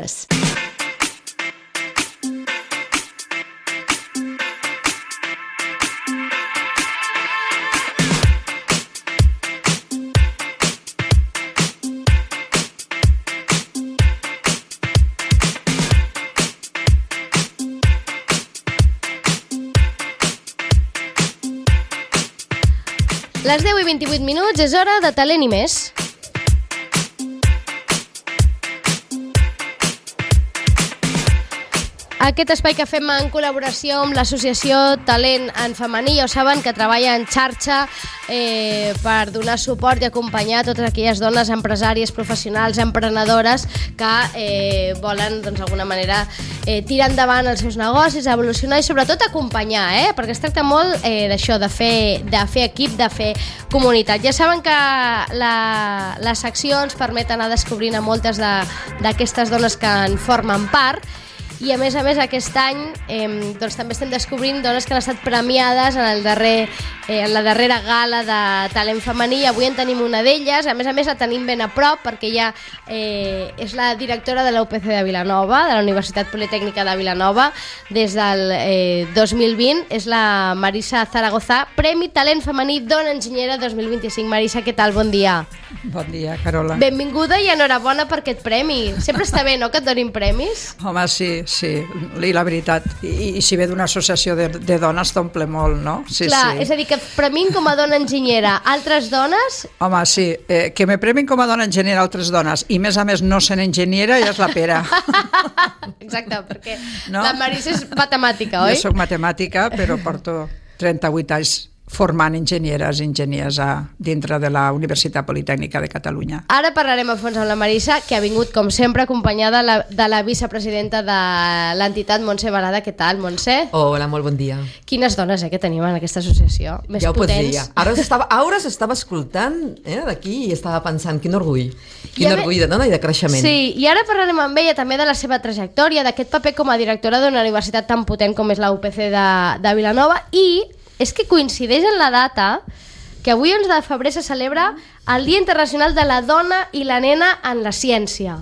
News. Les 10 i 28 minuts és hora de Talent i més. Aquest espai que fem en col·laboració amb l'associació Talent en Femení, ja ho saben, que treballa en xarxa per donar suport i acompanyar totes aquelles dones empresàries, professionals, emprenedores que volen, doncs, d'alguna manera tirar endavant els seus negocis, evolucionar i sobretot acompanyar, perquè es tracta molt d'això, de fer equip, de fer comunitat. Ja saben que les seccions permeten anar descobrint a moltes d'aquestes dones que en formen part. I a més aquest any doncs, també estem descobrint dones que han estat premiades en la darrera gala de Talent Femení, i avui en tenim una d'elles. A més la tenim ben a prop perquè ella és la directora de la UPC de Vilanova, de la Universitat Politècnica de Vilanova, des del 2020. És la Marisa Zaragoza, Premi Talent Femení Dona Enginyera 2025. Marisa, què tal? Bon dia. Bon dia, Carola. Benvinguda i enhorabona per aquest premi. Sempre està bé, no?, que et donin premis. Home, sí, i la veritat, i si ve d'una associació de dones t'omple molt, no? Sí, clar, sí. És a dir, que premin com a dona enginyera altres dones... Home, sí, que me premin com a dona enginyera altres dones i més a més no sent enginyera ja és la pera. Exacte, perquè no? La Marisa és matemàtica, oi? Jo soc matemàtica, però porto 38 anys formant enginyers dintre de la Universitat Politècnica de Catalunya. Ara parlarem a fons amb la Marisa, que ha vingut, com sempre, acompanyada de la vicepresidenta de l'entitat, Montse Barada. Què tal, Montse? Hola, molt bon dia. Quines dones que tenim en aquesta associació, més ja potents. Ja ho pots dir. Ara s'estava escoltant d'aquí i estava pensant quin orgull de dona i de creixement. Sí, i ara parlarem amb ella també de la seva trajectòria, d'aquest paper com a directora d'una universitat tan potent com és la UPC de Vilanova, i és que coincideix en la data que avui, 11 de febrer, se celebra el Dia Internacional de la Dona i la Nena en la Ciència.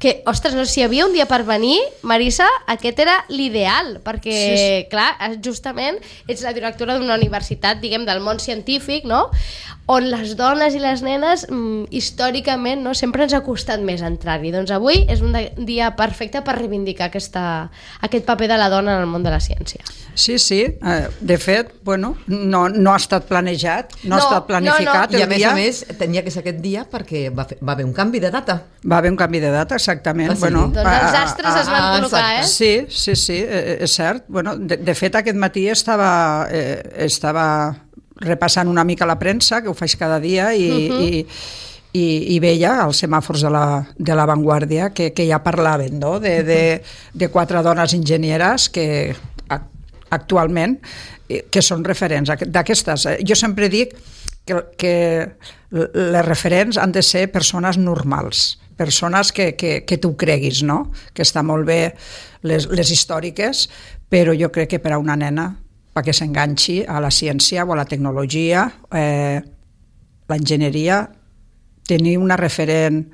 Que, ostres, no sé si hi havia un dia per venir, Marisa, aquest era l'ideal, perquè, sí. Clar, justament ets la directora d'una universitat, diguem, del món científic, no?, on les dones i les nenes, històricament, no, sempre ens ha costat més entrar-hi. Doncs avui és un dia perfecte per reivindicar aquest paper de la dona en el món de la ciència. Sí, de fet, bueno, no ha estat planejat, no ha estat planificat. I a més tenia que ser aquest dia perquè va haver un canvi de data. Va haver un canvi de data, exactament. Bueno, doncs els astres es van col·locar, Sí, és cert. Bueno, de fet, aquest matí estava repassant una mica la premsa, que ho faig cada dia, i veia els semàfors de la Vanguardia que ja parlaven, no?, de 4 dones enginyeres que actualment que són referents d'aquestes. Jo sempre dic que les referents han de ser persones normals, persones que tu creguis, no?, que està molt bé les històriques, però jo crec que per a una nena, perquè s'enganxi a la ciència o a la tecnologia, l'enginyeria, tenir una referent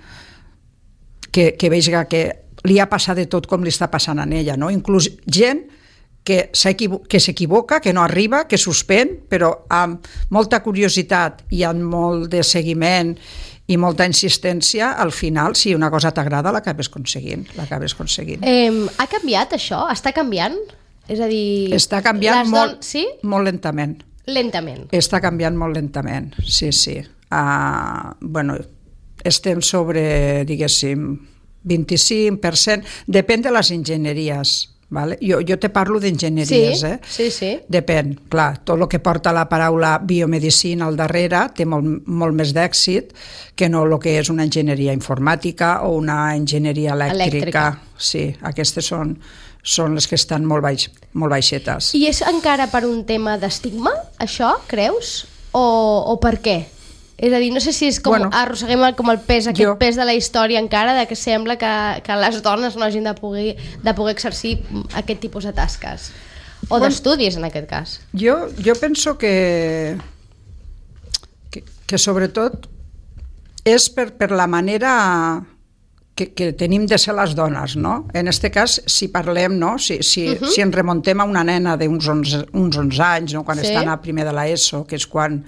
que vegi que li ha passat de tot com li està passant a ella, no? Inclús gent que s'equivoca, que no arriba, que suspèn, però amb molta curiositat i amb molt de seguiment i molta insistència, al final, si una cosa t'agrada, l'acabes aconseguint. Ha canviat això? Està canviant? És a dir... Està canviant sí? molt lentament. Lentament. Està canviant molt lentament, sí. Bueno, estem sobre, diguéssim, 25%, depèn de les enginyeries. Vale? Jo te parlo d'enginyeries, Sí. Depèn, clar, tot el que porta la paraula biomedicina al darrere té molt més d'èxit que no el que és una enginyeria informàtica o una enginyeria elèctrica. Sí, aquestes són les que estan molt baixetes. I és encara per un tema d'estigma, això, creus? O per què? És a dir, no sé si és com arrosseguem com el pes, pes de la història encara, de que sembla que les dones no hagin de poder exercir aquest tipus de tasques. O d'estudis, en aquest cas. Jo penso que sobretot és per la manera que tenim de ser les dones, no? En aquest cas, si parlem, no? Si ens remontem a una nena d'uns 11 anys, no? Quan estan a primer de l'ESO, que és quan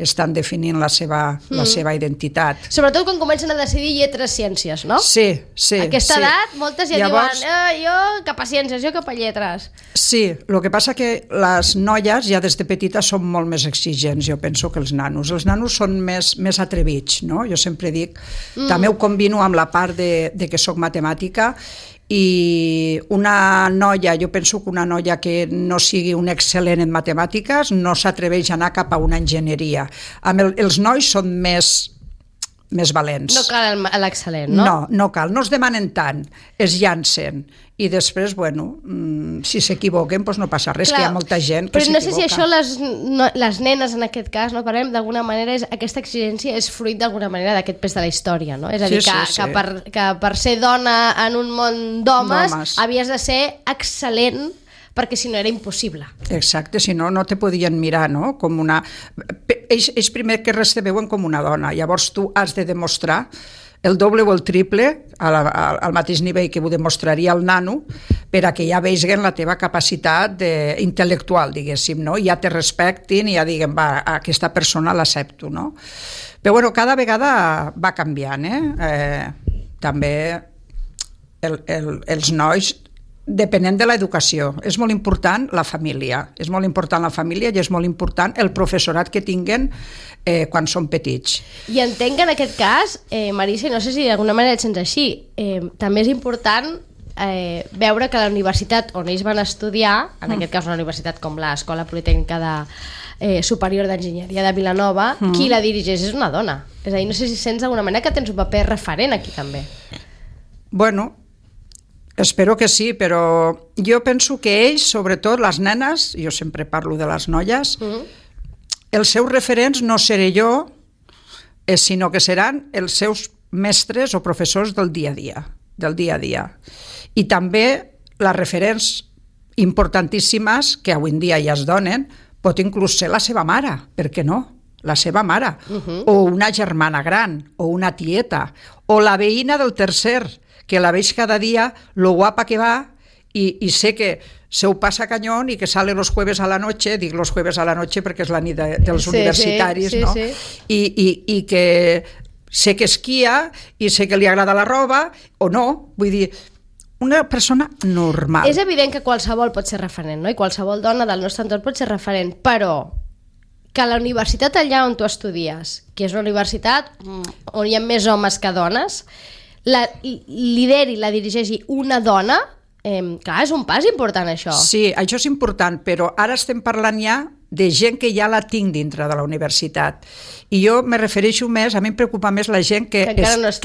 estan definint la seva identitat. Sobretot quan comencen a decidir lletres ciències, no? Sí. A aquesta edat, moltes ja diuen jo cap a ciències, jo cap a lletres. Sí, el que passa que les noies ja des de petites són molt més exigents, jo penso, que els nanos. Els nanos són més atrevits, no? Jo sempre dic, també ho combino amb la part de que soc matemàtica, i una noia, jo penso que una noia que no sigui un excel·lent en matemàtiques no s'atreveix a anar cap a una enginyeria. Els nois són més valents. No cal l'excel·lent, no? No cal, no es demanen tant, es llancen. I després, si s'equivoquen, doncs no passa res, que hi ha molta gent que s'equivoca. Però no sé si això les nenes, en aquest cas, no parlem, d'alguna manera, aquesta exigència és fruit d'alguna manera d'aquest pes de la història, no? És a dir, que per ser dona en un món d'homes havies de ser excel·lent, perquè si no era impossible. Exacte, si no, no te podien mirar, no? Com una... Ells primer que res te veuen com una dona, llavors tu has de demostrar el doble o el triple al mateix nivell que ho demostraria el nano per a que ja vegin la teva capacitat intel·lectual, diguéssim, no? Ja te respectin i ja diguen, va, aquesta persona l'accepto, no? Però bueno, cada vegada va canviant, també els nois, depenent de l'educació, és molt important la família, i és molt important el professorat que tinguen quan són petits. I entenc que en aquest cas, Marisa, no sé si d'alguna manera et sents així, també és important veure que la universitat on ells van estudiar, en aquest cas una universitat com l'Escola Politècnica Superior d'Enginyeria de Vilanova, qui la dirigeix és una dona. És a dir, no sé si sents d'alguna manera que tens un paper referent aquí també. Bueno, espero que sí, però jo penso que ells, sobretot les nenes, jo sempre parlo de les noies, els seus referents no seré jo, sinó que seran els seus mestres o professors del dia a dia. I també les referents importantíssimes, que avui en dia ja es donen, pot inclús ser la seva mare, per què no? La seva mare, o una germana gran, o una tieta, o la veïna del tercer, que la veig cada dia, lo guapa que va, y sé que se ho passa cañón y que sale los jueves a la noche, dic los jueves a la noche perquè és la nit dels universitaris, no? I que sé que esquia i sé que li agrada la roba, o no, vull dir, una persona normal. És evident que qualsevol pot ser referent, no? I qualsevol dona del nostre entorn pot ser referent, però que la universitat allà on tu estudies, que és una universitat on hi ha més homes que dones, la lideri, la dirigeixi una dona, clar, és un pas important això. Sí, això és important, però ara estem parlant ja de gent que ja la tinc dintre de la universitat. I jo me refereixo més, a mi em preocupa més la gent que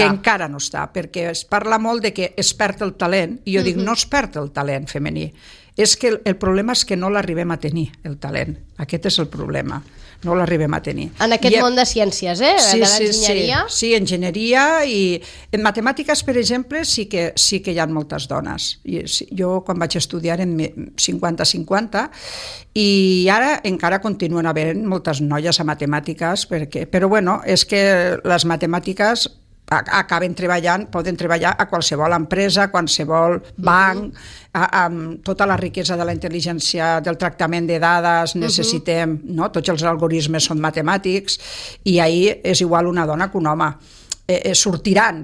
encara no està, perquè es parla molt de que es perd el talent, i jo dic, no es perd el talent femení, és que el problema és que no l'arribem a tenir, el talent. Aquest és el problema, no l'arribem a tenir. En aquest món de ciències, de l'enginyeria? Sí, enginyeria, i en matemàtiques, per exemple, sí que hi ha moltes dones. Jo, quan vaig estudiar, en 50-50, i ara encara continuen havent moltes noies a matemàtiques, però bueno, és que les matemàtiques acaben treballant, poden treballar a qualsevol empresa, a qualsevol banc, amb tota la riquesa de la intel·ligència, del tractament de dades, necessitem, no? Tots els algoritmes són matemàtics, i ahir és igual una dona que un home. Sortiran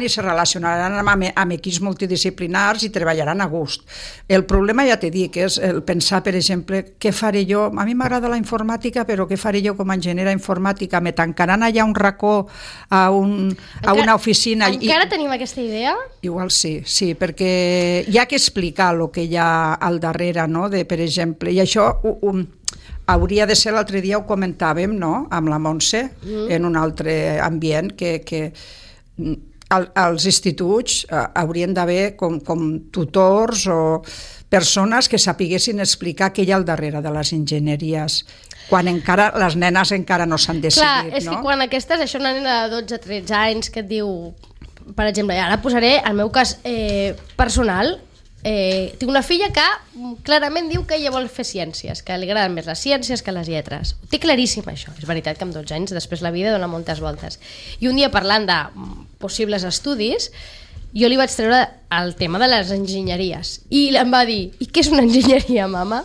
i se relacionaran amb equips multidisciplinars i treballaran a gust. El problema, ja t'he dit, és el pensar, per exemple, què faré jo? A mi m'agrada la informàtica, però què faré jo com a enginyera informàtica? Me tancaran allà un racó a una oficina? Encara tenim aquesta idea? Igual sí, perquè hi ha que explicar el que hi ha al darrere, no? Per exemple, i això hauria de ser, l'altre dia ho comentàvem, no?, amb la Montse, en un altre ambient, que als instituts haurien d'haver com tutors o persones que sapiguessin explicar què hi ha al darrere de les enginyeries, quan encara les nenes encara no s'han decidit. Clar, és que quan això una nena de 12-13 anys que et diu, per exemple, ara posaré el meu cas personal, tinc una filla que clarament diu que ella vol fer ciències, que li agraden més les ciències que les lletres. Ho té claríssim, això. És veritat que amb 12 anys després la vida dona moltes voltes. I un dia, parlant de possibles estudis, jo li vaig treure el tema de les enginyeries i em va dir, i què és una enginyeria, mama?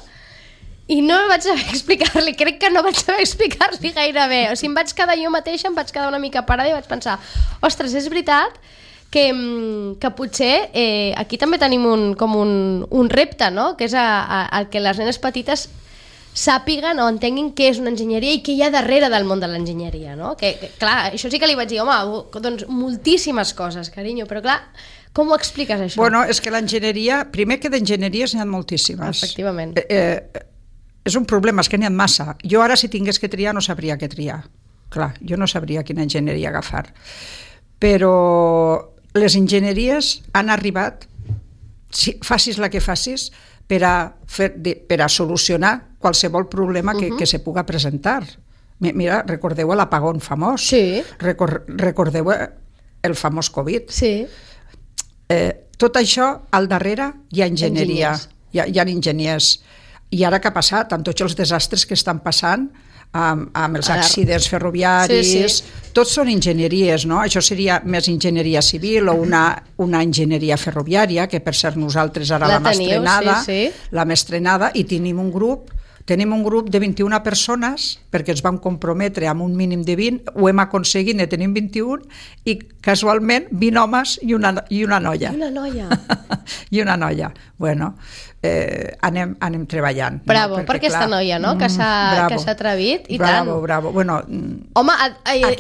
I no vaig saber explicar-li, crec que no vaig saber explicar-li gaire bé. O sigui, em vaig quedar jo mateixa, em vaig quedar una mica parada i vaig pensar, ostres, és veritat que potser aquí també tenim un repte, no? Que és el que les nenes petites sàpiguen o entenguin què és una enginyeria i què hi ha darrere del món de l'enginyeria, no? Que clar, això sí que li vaig dir, home, doncs moltíssimes coses, carinyo, però clar, com ho expliques, això? Bueno, és que l'enginyeria, primer que d'enginyeries n'hi ha moltíssimes. Efectivament. És un problema, és que n'hi ha massa. Jo ara, si tingués que triar, no sabria què triar. Clar, jo no sabria quina enginyeria agafar. Però les enginyeries han arribat, facis la que facis, per a solucionar qualsevol problema que se puga presentar. Mira, recordeu l'apagón famós? Sí. Recordeu el famós Covid? Sí. Tot això, al darrere, hi ha enginyeria. Hi ha enginyers. I ara què ha passat? Amb tots els desastres que estan passant, amb els accidents ferroviaris, tots són enginyeries, no? Això seria més enginyeria civil o una enginyeria ferroviària, que per ser nosaltres ara l'hem estrenada, i tenim un grup de 21 persones, perquè ens vam comprometre amb un mínim de 20, ho hem aconseguit, ne tenim 21, i casualment 20 homes i una noia. Una noia. I una noia. Bueno, anem treballant. Bravo, no? Per aquesta noia, no? Que s'ha atrevit, i tant. Bravo. Bueno, home,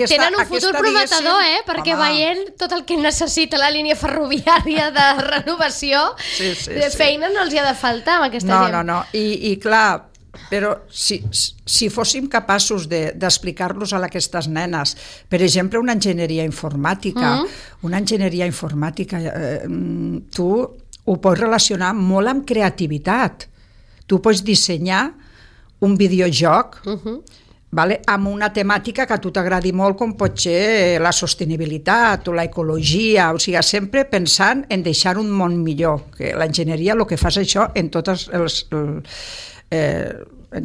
tenen un futur prometedor, perquè veient tot el que necessita la línia ferroviària de renovació, de feina no els hi ha de faltar amb aquesta gent. No. I clar, però si fóssim capaços d'explicar-los a aquestes nenes, per exemple, una enginyeria informàtica, tu ho pots relacionar molt amb creativitat. Tu pots dissenyar un videojoc amb una temàtica que a tu t'agradi molt, com pot ser la sostenibilitat o l'ecologia, o sigui, sempre pensant en deixar un món millor, que l'enginyeria el que fa és això en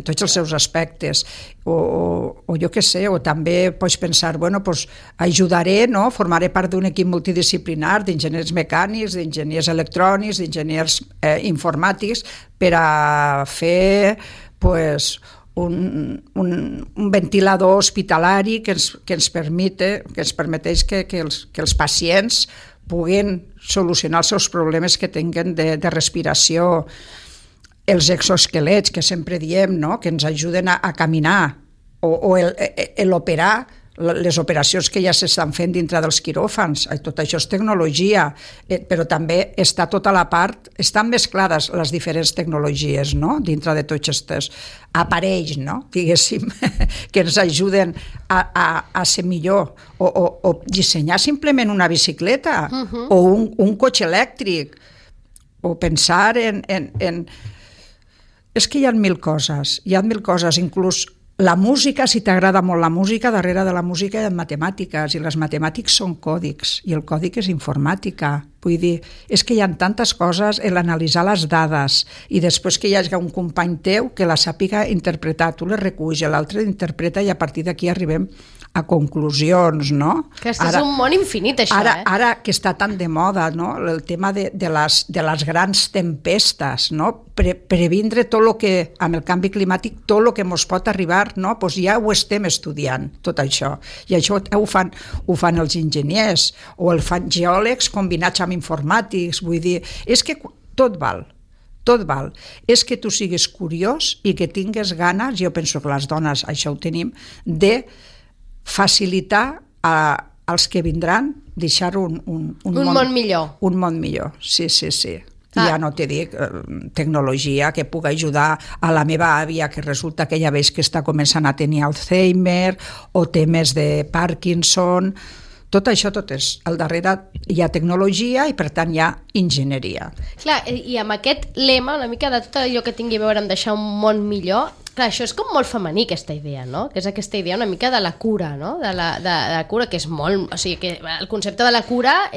tots els seus aspectes, o jo què sé, o també pots pensar, ajudaré, no? Formaré part d'un equip multidisciplinar d'enginyers mecànics, d'enginyers electrònics, d'enginyers informàtics, per a fer un ventilador hospitalari que ens permeteix que els pacients puguin solucionar els seus problemes que tinguen de respiració. Els exoesquelets, que sempre diem, no? Que ens ajuden a caminar, o l'operar, les operacions que ja s'estan fent dintre dels quiròfans. Tot això és tecnologia, però també està tota la part, estan mesclades les diferents tecnologies, no? Dintre de tots aquests aparells, no? Diguéssim, que ens ajuden a ser millor, o dissenyar simplement una bicicleta, o un cotxe elèctric, o pensar en és que hi ha mil coses, inclús la música, si t'agrada molt la música, darrere de la música hi ha matemàtiques, i les matemàtics són còdics, i el còdic és informàtica. Vull dir, és que hi ha tantes coses, l'analitzar les dades, i després que hi hagi un company teu que la sàpiga interpretar, tu les reculls, l'altre interpreta, i a partir d'aquí arribem a conclusions, no? Que és un món infinit, això, Ara que està tan de moda, no? El tema de les grans tempestes, no? Previndre tot el que, amb el canvi climàtic, tot el que ens pot arribar, no? Pues ja ho estem estudiant, tot això. I això ho fan els enginyers, o el fan geòlegs combinats amb informàtics, vull dir, és que tot val. És que tu siguis curiós i que tingues ganes, jo penso que les dones això ho tenim, de facilitar als que vindran deixar un món millor. Un món millor, sí. Ja no te dic tecnologia que pugui ajudar a la meva àvia, que resulta que ja veig que està començant a tenir Alzheimer o temes de Parkinson. Tot això, al darrere hi ha tecnologia i per tant hi ha enginyeria. Clar, i amb aquest lema, una mica de tot allò que tingui a veure amb deixar un món millor, clar, això és com molt femení, aquesta idea, no? Que és aquesta idea una mica de la cura, no? De la cura, que és molt... O sigui, que el concepte de la cura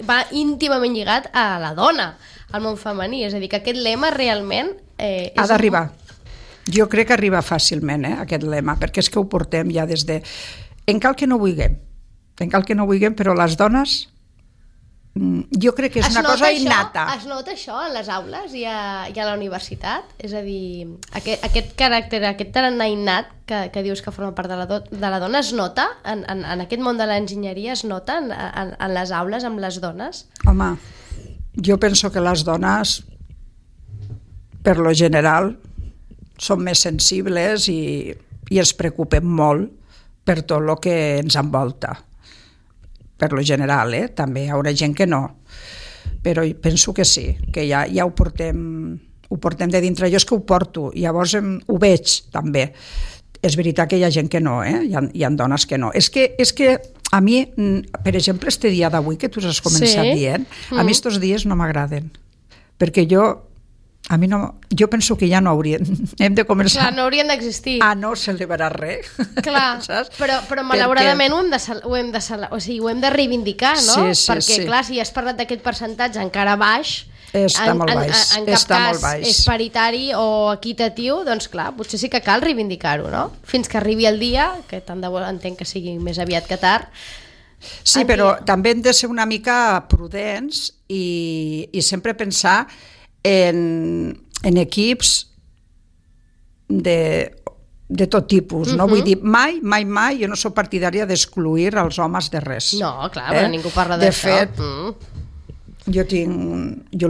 va íntimament lligat a la dona, al món femení. És a dir, que aquest lema realment... ha d'arribar. Jo crec que arriba fàcilment, aquest lema, perquè és que ho portem ja des de... En cal que no vulguem, però les dones jo crec que és una cosa innata. Es nota això a les aules i a la universitat? És a dir, aquest caràcter, aquest tarannà innat que dius que forma part de la dona, es nota? En aquest món de l'enginyeria es nota en les aules amb les dones? Home, jo penso que les dones, per lo general, són més sensibles i es preocupen molt per tot el que ens envolta. Per lo general, també hi haurà gent que no, però penso que sí, que ja ho portem de dintre. Jo és que ho porto, llavors ho veig també. És veritat que hi ha gent que no, hi ha dones que no. És que a mi, per exemple, este dia d'avui que tu has començat dient, a mi estos dies no m'agraden, perquè jo penso que ja no haurien, hem de començar. Clar, no haurien d'existir. A no celebrar res. Clar, però malauradament ho hem de reivindicar, no? Perquè, clar, si has parlat d'aquest percentatge encara baix, està molt baix. En cap cas és paritari o equitatiu, doncs clar, potser sí que cal reivindicar-ho, no? Fins que arribi el dia, que tant de bo entenc que sigui més aviat que tard. Sí, però també hem de ser una mica prudents i sempre pensar en equips de tot tipus, no? Vull dir, mai, jo no soc partidària d'excluir els homes de res. No, clar, però ningú parla d'això. De fet, jo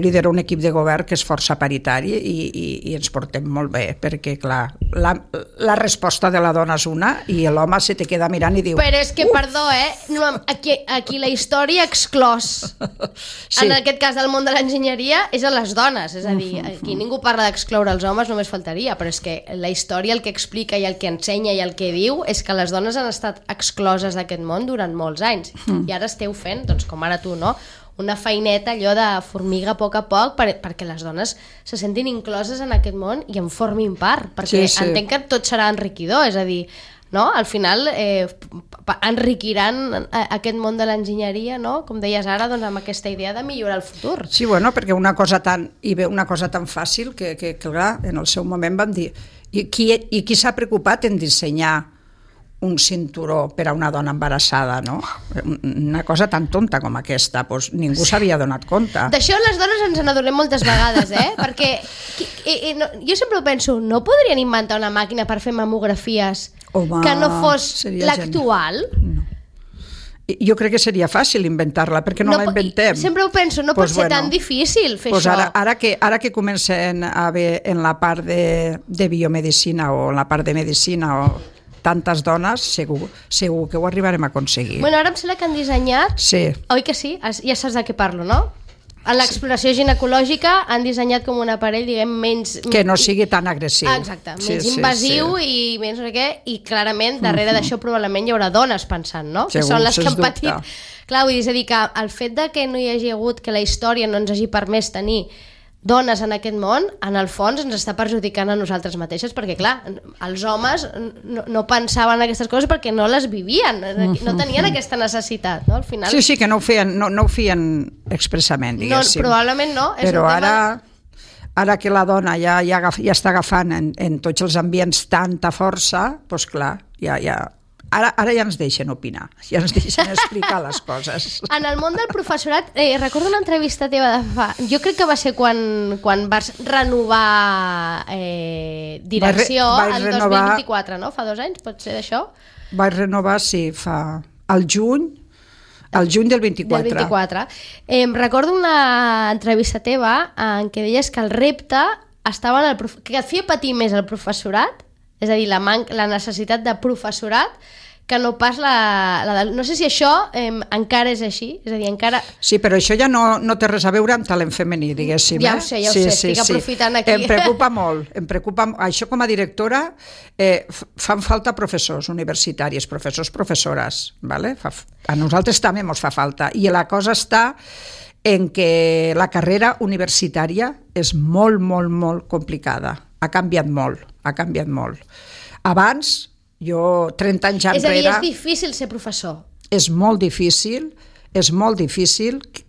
lidero un equip de govern que és força paritari i ens portem molt bé, perquè clar, la resposta de la dona és una i l'home se te queda mirant i diu... Però és que, perdó, aquí la història exclòs, en aquest cas del món de l'enginyeria, és a les dones, és a dir, aquí ningú parla d'excloure els homes, només faltaria, però és que la història el que explica i el que ensenya i el que diu és que les dones han estat excloses d'aquest món durant molts anys i ara esteu fent, doncs com ara tu, no?, una feineta allò de formiga a poc perquè les dones se sentin incloses en aquest món i en formin part, perquè entenc que tot serà enriquidor, és a dir, no? Al final enriquiran aquest món de l'enginyeria, no? Com deies ara, doncs amb aquesta idea de millorar el futur. Sí, bueno, perquè una cosa tan fàcil que clar, en el seu moment vam dir i qui s'ha preocupat en dissenyar un cinturó per a una dona embarassada, no? Una cosa tan tonta com aquesta, doncs ningú s'havia donat compte. D'això les dones ens n'adonem moltes vegades, perquè jo sempre penso, no podrien inventar una màquina per fer mamografies que no fos l'actual? No. Jo crec que seria fàcil inventar-la, perquè no la inventem. Sempre ho penso, no pot ser tan difícil fer això. Ara que comencen a haver en la part de biomedicina o en la part de medicina o tantes dones, segur que ho arribarem a aconseguir. Bueno, ara em sembla que han dissenyat... Sí. Oi que sí? Ja saps de què parlo, no? A l'exploració ginecològica han dissenyat com un aparell, diguem, menys... Que no sigui tan agressiu. Exacte, menys invasiu i menys no sé què, i clarament darrere d'això probablement hi haurà dones pensant, no? Segur, que són les que han patit. Clar, vull dir, és a dir, que el fet de que no hi hagi hagut, que la història no ens hagi permès tenir dones en aquest món, en el fons ens està perjudicant a nosaltres mateixes, perquè clar, els homes no pensaven en aquestes coses perquè no les vivien, no tenien aquesta necessitat, no? Al final... Sí, que no ho feien expressament, diguéssim. No, probablement no. Però ara que la dona ja està agafant en tots els ambients tanta força, doncs clar, Ara ja ens deixen opinar, ja ens deixen explicar les coses. En el món del professorat, recordo una entrevista teva de fa... Jo crec que va ser quan vas renovar direcció el 2024, no? Fa 2 anys, pot ser d'això? Vaig renovar, sí, al juny del 24. Del 24. Recordo una entrevista teva en què deies que el repte estava en que et feia patir més el professorat, és a dir, la necessitat de professorat, que no pas no sé si això encara és així, és a dir, encara... Sí, però això ja no té res a veure amb talent femení, diguéssim. Ja ho sé, estic aprofitant aquí. Em preocupa molt, això com a directora fan falta professors universitaris, professores, ¿vale? A nosaltres també ens fa falta, i la cosa està en que la carrera universitària és molt, molt, molt complicada, ha canviat molt. Abans, jo 30 anys enrere... És a dir, és difícil ser professor. És molt difícil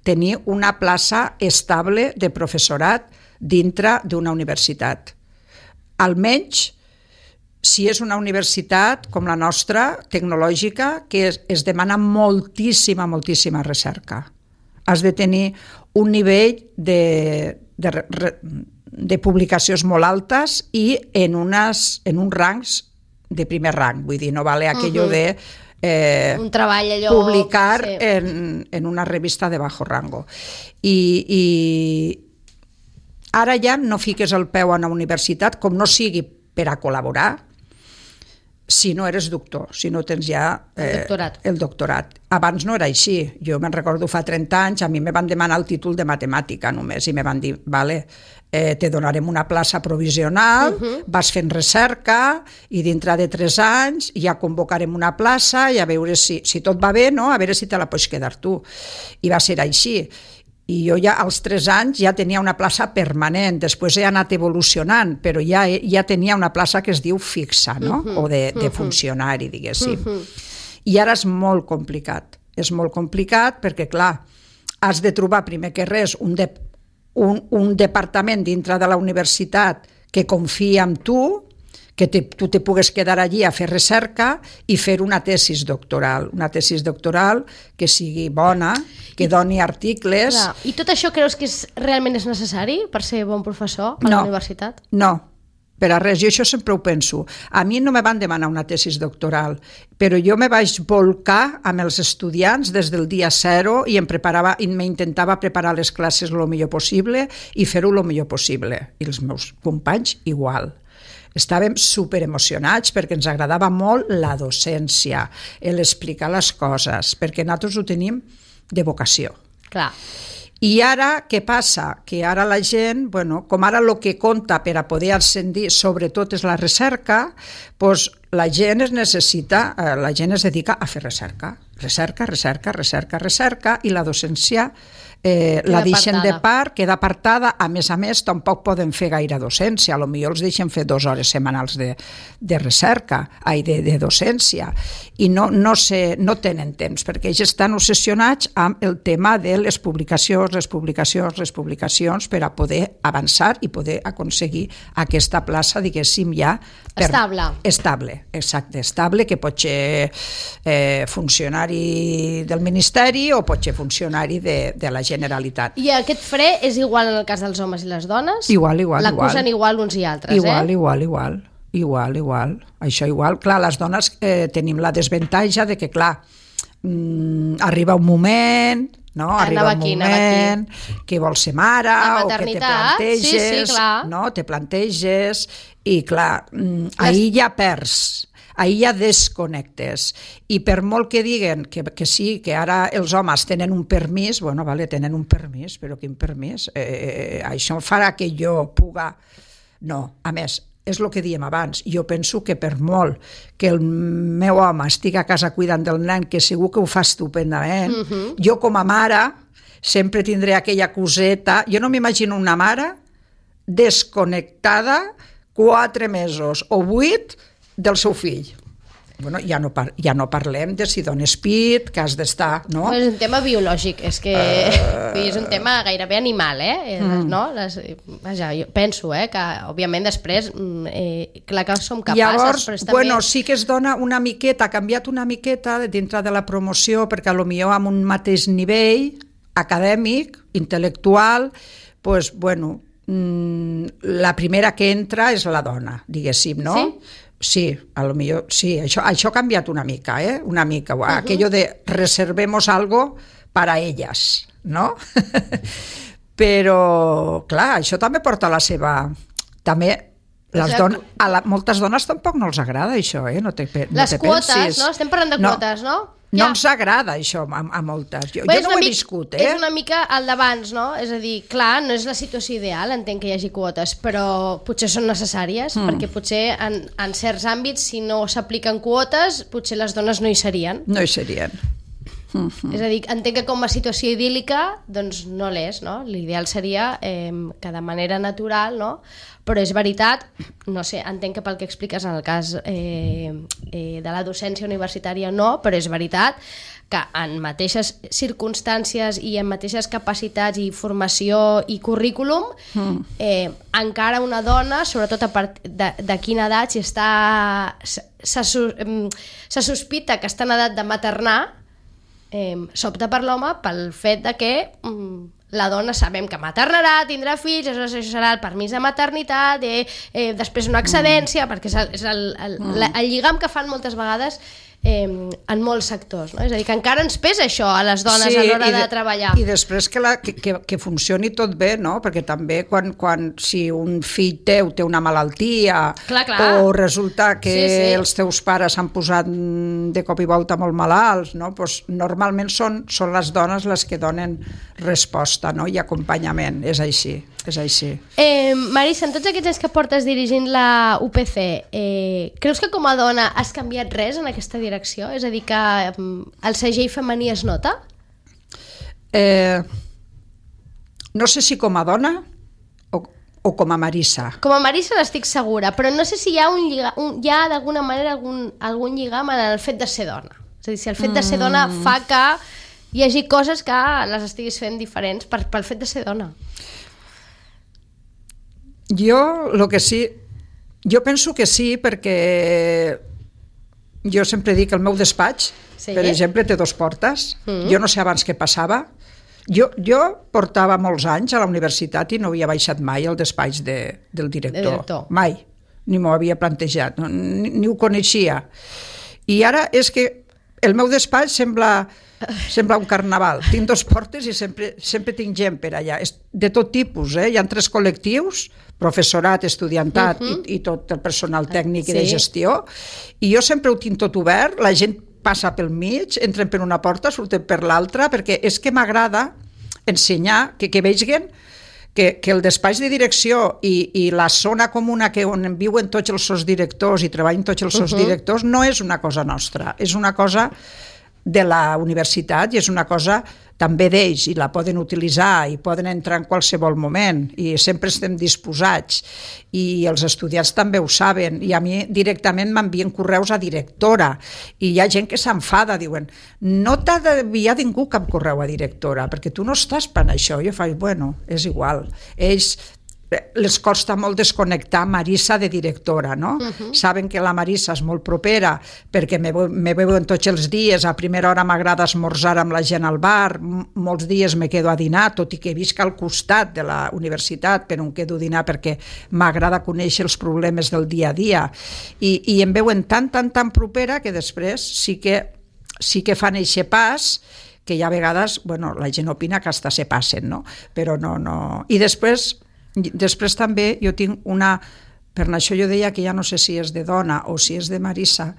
tenir una plaça estable de professorat dintre d'una universitat. Almenys, si és una universitat com la nostra, tecnològica, que es demana moltíssima recerca. has de tenir un nivell de publicacions molt altes i en uns rangs de primer rang, vull dir, no vale aquello de un treball allò, publicar en una revista de bajo rango. I ara ja no fiques el peu a una universitat, com no sigui per a col·laborar, si no eres doctor, si no tens ja el doctorat. Abans no era així. Jo me'n recordo fa 30 anys, a mi me van demanar el títol de matemàtica només i me van dir, vale, te donarem una plaça provisional, vas fent recerca i dintre de 3 anys ja convocarem una plaça i a veure si tot va bé, no? A veure si te la pots quedar tu. I va ser així. I jo ja als 3 anys ja tenia una plaça permanent, després he anat evolucionant, però ja tenia una plaça que es diu fixa, no? O de funcionari, diguéssim. I ara és molt complicat perquè, clar, has de trobar primer que res un departament dintre de la universitat que confia en tu, que tu te pugues quedar allí a fer recerca i fer una tesis doctoral que sigui bona, que doni articles. Clar. I tot això creus que realment és necessari per ser bon professor a la universitat? No, per a res, jo això sempre ho penso. A mi no me van demanar una tesis doctoral, però jo me vaig volcar amb els estudiants des del dia 0 i m'intentava preparar les classes el millor possible i fer-ho el millor possible. I els meus companys igual. Estàvem superemocionats perquè ens agradava molt la docència, l'explicar les coses, perquè nosaltres ho tenim de vocació. Clar. I ara, què passa? Que ara la gent, com ara el que compta per a poder ascendir, sobretot és la recerca, doncs la gent es dedica a fer recerca. Recerca, i la docència la deixen de part, queda apartada. A més, tampoc poden fer gaire docència, potser els deixen fer 2 hores setmanals de recerca, de docència, i no tenen temps, perquè ells estan obsessionats amb el tema de les publicacions per a poder avançar i poder aconseguir aquesta plaça, diguéssim, ja estable, que pot ser funcionari del Ministeri o pot ser funcionari de la Generalitat. I aquest fre és igual en el cas dels homes i les dones? Igual. L'acusen igual uns i altres, Igual. Això igual. Clar, les dones tenim la desavantatge de que, clar, arriba un moment... No? Arriba un moment que vols ser mare o que te planteges, te planteges i clar, ahir ja perds, ahir ja desconnectes, i per molt que diguen que sí, que ara els homes tenen un permís, tenen un permís, però quin permís? Això farà que jo puga... No, a més, és el que diem abans, jo penso que per molt que el meu home estigui a casa cuidant del nen, que segur que ho fa estupendament, jo com a mare sempre tindré aquella coseta. Jo no m'imagino una mare desconnectada 4 mesos o 8 del seu fill. Ja no parlem de si dones pit, que has d'estar... No? És un tema biològic, és que és un tema gairebé animal, no? Vaja, jo penso que, òbviament, després, clar que som capaces... Llavors, sí que es dona una miqueta, ha canviat una miqueta dintre de la promoció, perquè potser amb un mateix nivell acadèmic, intel·lectual, la primera que entra és la dona, diguéssim, no? Sí? Sí, potser sí, això ha canviat una mica, una mica, aquello de reservemos algo para ellas, no? Però, clar, això també porta la seva... També, moltes dones tampoc no els agrada això, no te pensis. Les quotes, no? Estem parlant de quotes, no? No ens agrada això a moltes. Jo no ho he viscut, És una mica el d'abans, no? És a dir, clar, no és la situació ideal, entenc que hi hagi quotes, però potser són necessàries, perquè potser en certs àmbits, si no s'apliquen quotes, potser les dones no hi serien. No hi serien. És a dir, entenc que com a situació idíl·lica, doncs no l'és, no? L'ideal seria que de manera natural, no? Però és veritat, no sé, entenc que pel que expliques en el cas de la docència universitària no, però és veritat que en mateixes circumstàncies i en mateixes capacitats i formació i currículum, encara una dona, sobretot a partir de quina edat, si se sospita que està en edat de maternar, s'opta per l'home pel fet de que la dona sabem que maternarà, tindrà fills, això serà el permís de maternitat, després una excedència, perquè és el lligam que fan moltes vegades en molts sectors, no? És a dir, que encara ens pesa això a les dones a l'hora de treballar. I després que funcioni tot bé, no? Perquè també si un fill teu té una malaltia o resulta que els teus pares s'han posat de cop i volta molt malalts, no? Pues normalment són les dones les que donen resposta, no? I acompanyament, és així. Marisa, en tots aquests anys que portes dirigint la UPC, creus que com a dona has canviat res en aquesta direcció? És a dir, que el segell femení es nota? No sé si com a dona o com a Marisa. Com a Marisa n'estic segura, però no sé si hi ha d'alguna manera algun lligam en el fet de ser dona. És a dir, si el fet de ser dona fa que hi hagi coses que les estiguis fent diferents pel fet de ser dona. Jo penso que sí, perquè jo sempre dic que el meu despatx, per exemple, té 2 portes. Jo no sé abans què passava. Jo portava molts anys a la universitat i no havia baixat mai al despatx del director. Mai. Ni m'ho havia plantejat, ni ho coneixia. I ara és que el meu despatx sembla un carnaval. Tinc 2 portes i sempre tinc gent per allà. De tot tipus, Hi ha 3 col·lectius, professorat, estudiantat i tot el personal tècnic i de gestió. I jo sempre ho tinc tot obert, la gent passa pel mig, entren per una porta, surten per l'altra, perquè és que m'agrada ensenyar, que vegin que el despatx de direcció i la zona comuna on viuen tots els sotsdirectors i treballen tots els sotsdirectors no és una cosa nostra, és una cosa de la universitat i és una cosa també d'ells i la poden utilitzar i poden entrar en qualsevol moment i sempre estem disposats i els estudiants també ho saben i a mi directament m'envien correus a directora i hi ha gent que s'enfada, diuen no t'ha d'enviar ningú cap correu a directora perquè tu no estàs per això. Jo faig, bueno, és igual, ells les costa molt desconnectar Marisa de directora, no? Saben que la Marisa és molt propera perquè me veuen tots els dies, a primera hora m'agrada esmorzar amb la gent al bar, molts dies me quedo a dinar, tot i que visc al costat de la universitat, però em quedo a dinar perquè m'agrada conèixer els problemes del dia a dia i em veuen tan propera que després sí que fan eixe pas que ja a vegades, bueno, la gent opina que hasta se passen, no? Però no. I després també jo tinc per això jo deia que ja no sé si és de dona o si és de Marisa,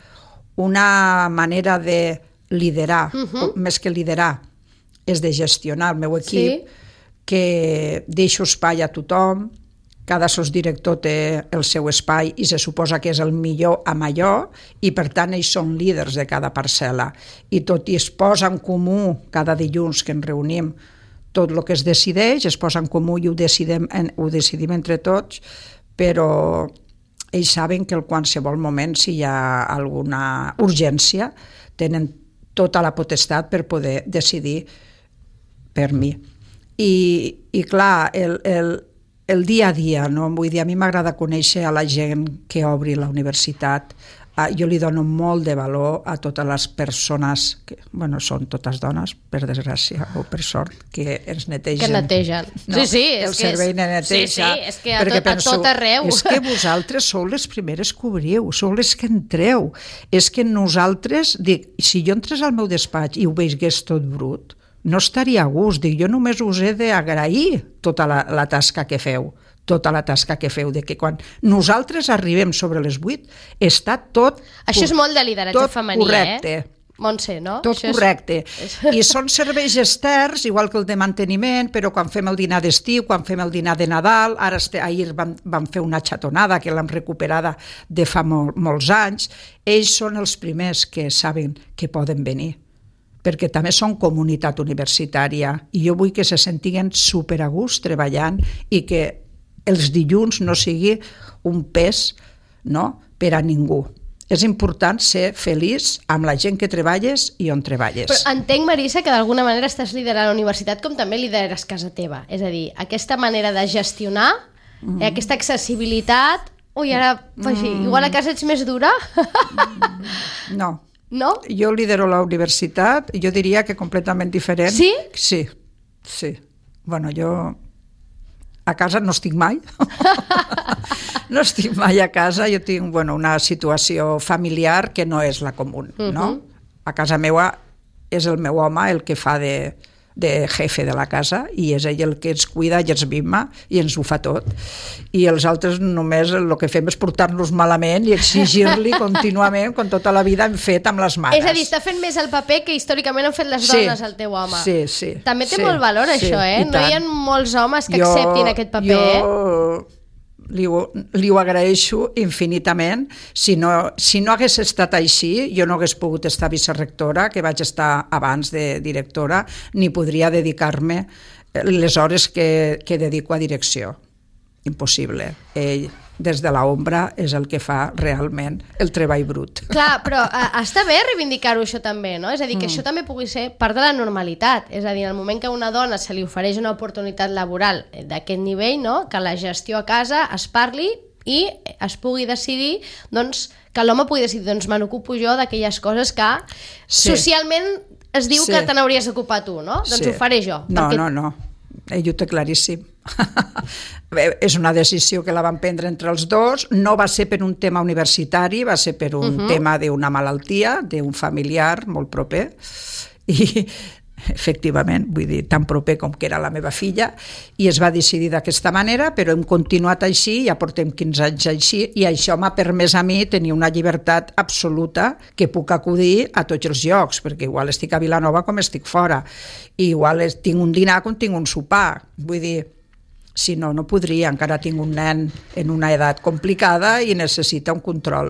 una manera de liderar, més que liderar, és de gestionar el meu equip, que deixo espai a tothom, cada sotsdirector té el seu espai i se suposa que és el millor amb allò i per tant ells són líders de cada parcel·la i tot i es posa en comú cada dilluns que ens reunim tot el que es decideix, es posa en comú i ho decidim entre tots, però ells saben que en qualsevol moment, si hi ha alguna urgència, tenen tota la potestat per poder decidir per mi. I clar, el dia a dia, no? Vull dir, a mi m'agrada conèixer a la gent que obri la universitat. Jo li dono molt de valor a totes les persones, que, bueno, són totes dones, per desgràcia o per sort, que ens netegen. Que netegen. No? El servei de neteja. Sí, és que a tot arreu. És que vosaltres sou les primeres que obriu, sou les que entreu. És que nosaltres, dic, si jo entrés al meu despatx i ho veigués tot brut, no estaria a gust. Dic, jo només us he d'agrair tota la tasca que feu. Tota la tasca que feu, de que quan nosaltres arribem sobre les 8 està tot... Això és molt de lideratge femení, correcte. Montse, no? Tot correcte. I són serveis externs, igual que el de manteniment, però quan fem el dinar d'estiu, quan fem el dinar de Nadal, ahir vam fer una xatonada que l'hem recuperada de fa molts anys, ells són els primers que saben que poden venir, perquè també són comunitat universitària i jo vull que se sentiguen super a gust treballant i que els dilluns no sigui un pes, no?, per a ningú. És important ser feliç amb la gent que treballes i on treballes. Però entenc, Marisa, que d'alguna manera estàs liderant la universitat com també lideres casa teva. És a dir, aquesta manera de gestionar, aquesta accessibilitat... Ui, ara, igual a casa ets més dura? No. No? Jo lidero la universitat, jo diria que completament diferent. Sí? Sí. Bueno, jo a casa no estic mai. No estic mai a casa, jo tinc una situació familiar que no és la comú, no? A casa meva és el meu home el que fa de jefe de la casa i és ell el que ens cuida i ens mima i ens ho fa tot. I els altres només el que fem és portar-nos malament i exigir-li contínuament, com tota la vida hem fet amb les mares. És a dir, està fent més el paper que històricament han fet les dones, el teu home. Sí. També té molt valor això, No hi ha molts homes que acceptin aquest paper, li ho agraeixo infinitament. Si no hagués estat així, jo no hagués pogut estar vicerectora, que vaig estar abans de directora, ni podria dedicar-me les hores que dedico a direcció. Impossible. Ell, des de l'ombra, és el que fa realment el treball brut. Clar, però està bé reivindicar-ho això també, no? És a dir, que això també pugui ser part de la normalitat. És a dir, en el moment que a una dona se li ofereix una oportunitat laboral d'aquest nivell, no? Que la gestió a casa es parli i es pugui decidir, doncs, que l'home pugui decidir, doncs me n'ocupo jo d'aquelles coses que socialment es diu que te n'hauries d'ocupar tu, no? Doncs ho faré jo. No. Ell ho té claríssim. És una decisió que la van prendre entre els dos, no va ser per un tema universitari, va ser per un tema d'una malaltia, d'un familiar molt proper, i efectivament, vull dir, tan proper com que era la meva filla, i es va decidir d'aquesta manera, però hem continuat així, ja portem 15 anys així, i això m'ha permès a mi tenir una llibertat absoluta que puc acudir a tots els llocs, perquè igual estic a Vilanova com estic fora, i igual tinc un dinar com tinc un sopar, vull dir, si no, no podria, encara tinc un nen en una edat complicada i necessita un control.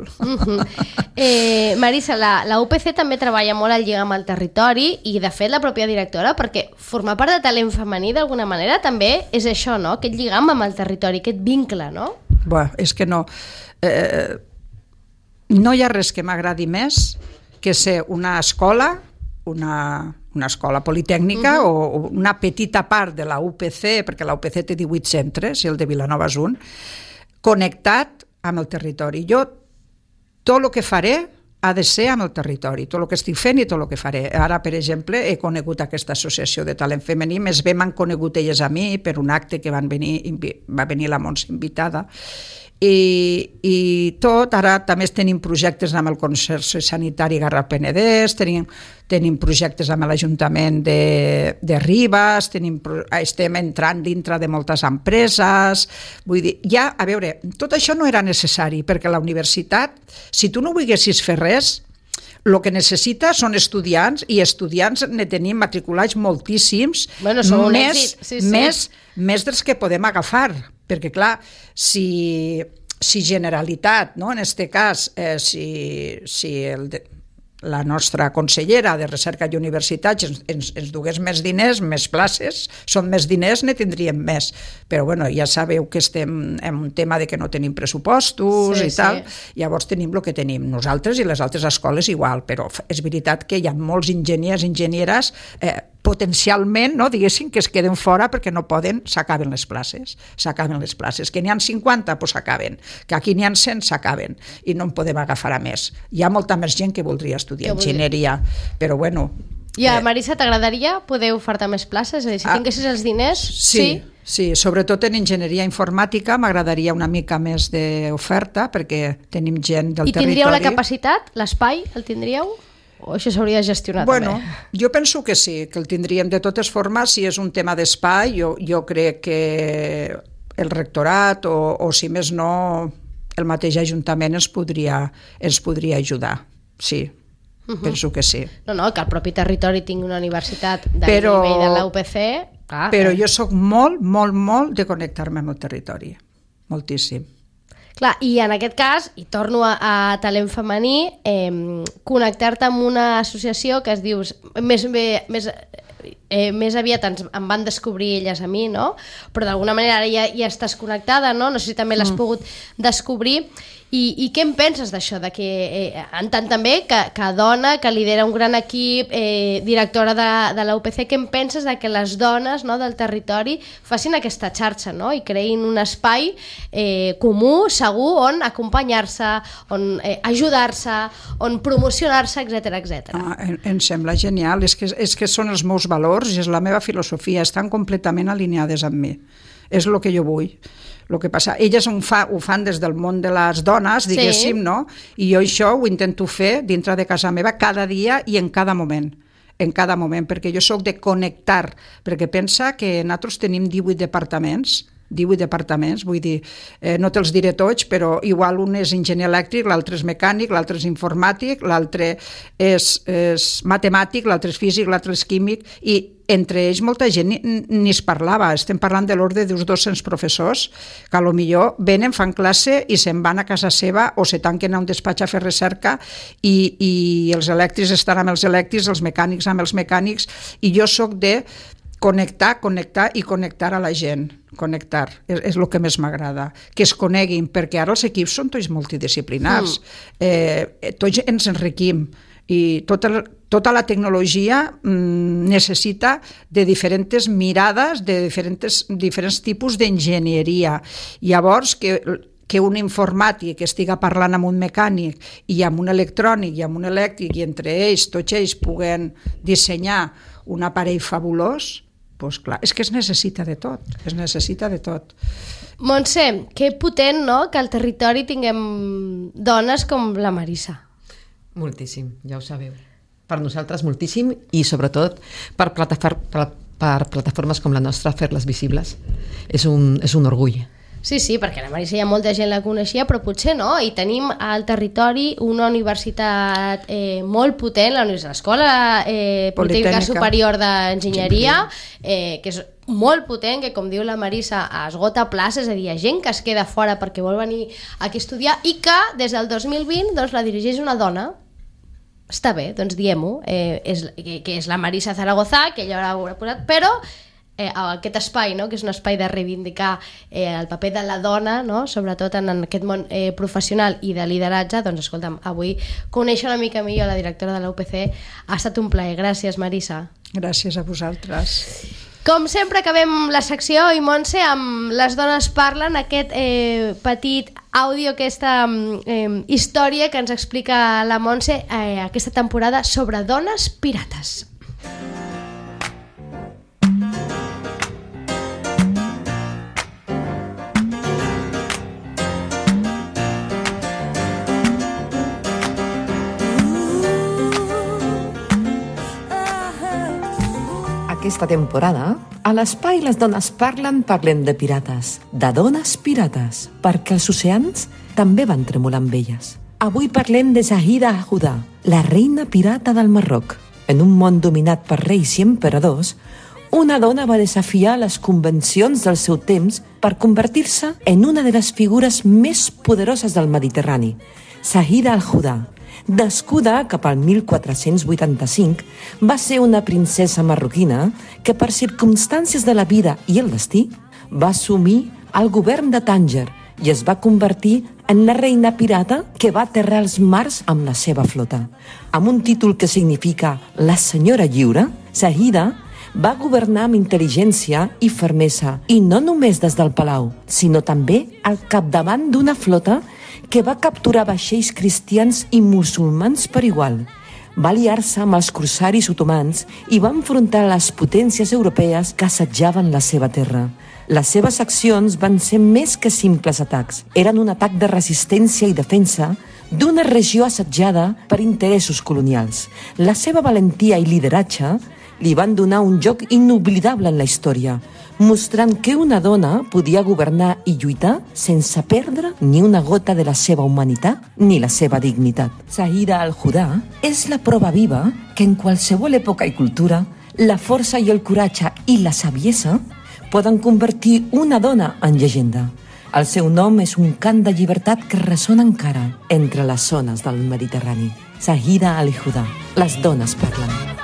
Marisa, la UPC també treballa molt al lligam al territori i de fet la pròpia directora, perquè formar part de talent femení d'alguna manera també és això, no? Aquest lligam amb el territori, aquest vincle, no? Bé, és que no. No hi ha res que m'agradi més que ser una escola, una escola politècnica o una petita part de la UPC, perquè la UPC té 18 centres i el de Vilanova és un, connectat amb el territori. Jo tot el que faré ha de ser amb el territori, tot el que estic fent i tot el que faré. Ara, per exemple, he conegut aquesta associació de talent femení, més bé m'han conegut elles a mi per un acte que va venir la Montse invitada, i tot, ara també tenim projectes amb el Consorci Sanitari Garraf-Penedès, tenim projectes amb l'Ajuntament de Ribes, estem entrant dintre de moltes empreses, vull dir, ja, a veure, tot això no era necessari, perquè la universitat, si tu no volguessis fer res, el que necessita són estudiants, i estudiants ne tenim matriculats moltíssims, més dels que podem agafar, perquè clar, si Generalitat, no, en aquest cas, si la nostra consellera de Recerca i Universitats ens dugués més diners, més places, són més diners, ne tindríem més. Però bueno, ja sabeu que estem en un tema de que no tenim pressupostos i tal, llavors tenim el que tenim. Nosaltres i les altres escoles igual, però és veritat que hi ha molts enginyers i enginyeres potencialment, no, diguéssim, que es queden fora perquè no poden, s'acaben les places. Que n'hi ha 50, doncs s'acaben. Que aquí n'hi ha 100, s'acaben. I no en podem agafar a més. Hi ha molta més gent que voldria estudiar enginyeria, però bueno... I a Marisa, t'agradaria poder ofertar més places? És a dir, si tinguessis els diners... Sí, sobretot en enginyeria informàtica m'agradaria una mica més d'oferta, perquè tenim gent del territori... I tindríeu la capacitat? L'espai el tindríeu? O això s'hauria de gestionar també? Jo penso que sí, que el tindríem. De totes formes, si és un tema d'espai, jo crec que el rectorat o si més no el mateix Ajuntament ens podria ajudar, sí. Penso que sí. No, que el propi territori tingui una universitat del nivell de la UPC... Però jo sóc molt, molt, molt de connectar-me amb el territori, moltíssim. Clar, i en aquest cas, i torno a talent femení, connectar-te amb una associació que es diu més aviat em van descobrir elles a mi, no? Però d'alguna manera ara ja estàs connectada, no? No sé si també l'has pogut descobrir. I què en penses d'això? En tant també que dona, que lidera un gran equip, directora de la UPC, què en penses de que les dones, no, del territori facin aquesta xarxa, no? I creïn un espai comú, segur, on acompanyar-se, on ajudar-se, on promocionar-se, etc. Em sembla genial, és que són els meus valors i és la meva filosofia, estan completament alineades amb mi. És el que jo vull. El que passa, elles ho fan des del món de les dones, diguéssim, no? I jo això ho intento fer dintre de casa meva cada dia i en cada moment, perquè jo sóc de connectar, perquè pensa que nosaltres tenim 18 departaments, vull dir, no te'ls diré tots, però igual un és enginyer elèctric, l'altre és mecànic, l'altre és informàtic, l'altre és matemàtic, l'altre és físic, l'altre és químic, i entre ells molta gent ni es parlava. Estem parlant de l'ordre d'uns 200 professors que potser venen, fan classe i se'n van a casa seva o se tanquen a un despatx a fer recerca i els elèctrics estan amb els elèctrics, els mecànics amb els mecànics, i jo sóc de connectar a la gent. Connectar, és el que més m'agrada, que es coneguin, perquè ara els equips són tots multidisciplinars, tots ens enriquim i tota la tecnologia necessita de diferents mirades, de diferents tipus d'enginyeria. Llavors, que un informàtic estigui parlant amb un mecànic i amb un electrònic i amb un elèctric i entre ells, tots ells puguen dissenyar un aparell fabulós, doncs clar, és que es necessita de tot. Montse, que potent, no?, que al territori tinguem dones com la Marisa. Moltíssim, ja ho sabeu. Per nosaltres moltíssim i sobretot per plataformes com la nostra, fer-les visibles. És un orgull. Sí, perquè la Marisa ja molta gent la coneixia, però potser no, i tenim al territori una universitat molt potent, l'Escola Politècnica Superior d'Enginyeria, que és molt potent, que com diu la Marisa esgota places, és a dir, hi ha gent que es queda fora perquè vol venir aquí a estudiar i que des del 2020 doncs, la dirigeix una dona. Està bé, doncs diem-ho, que és la Marisa Zaragoza, que ella haurà posat, però aquest espai, no? Que és un espai de reivindicar el paper de la dona, no? Sobretot en aquest món professional i de lideratge. Doncs escolta'm, avui conèixer una mica millor la directora de la UPC ha estat un plaer. Gràcies, Marisa. Gràcies a vosaltres. Com sempre acabem la secció, i Montse, amb Les dones parlen, aquest petit àudio, aquesta història que ens explica la Montse aquesta temporada sobre dones pirates. Aquesta temporada, a l'espai Les dones parlem de pirates, de dones pirates, perquè els oceans també van tremolar amb elles. Avui parlem de Zahida Al-Huda, la reina pirata del Marroc. En un món dominat per reis i emperadors, una dona va desafiar les convencions del seu temps per convertir-se en una de les figures més poderoses del Mediterrani, Zahida Al-Huda. Nascuda cap al 1485, va ser una princesa marroquina que per circumstàncies de la vida i el destí va assumir el govern de Tànger i es va convertir en la reina pirata que va aterrar els mars amb la seva flota. Amb un títol que significa la senyora lliure, Zahida va governar amb intel·ligència i fermesa, i no només des del palau, sinó també al capdavant d'una flota que va capturar vaixells cristians i musulmans per igual. Va aliar-se amb els corsaris otomans i va enfrontar les potències europees que assetjaven la seva terra. Les seves accions van ser més que simples atacs. Eren un atac de resistència i defensa d'una regió assetjada per interessos colonials. La seva valentia i lideratge li van donar un joc inoblidable en la història, mostrant que una dona podia governar i lluitar sense perdre ni una gota de la seva humanitat ni la seva dignitat. Zahida Al-Huda és la prova viva que en qualsevol època i cultura la força i el coratge i la saviesa poden convertir una dona en llegenda. El seu nom és un cant de llibertat que ressona encara entre les zones del Mediterrani. Zahida Al-Huda, les dones parlen.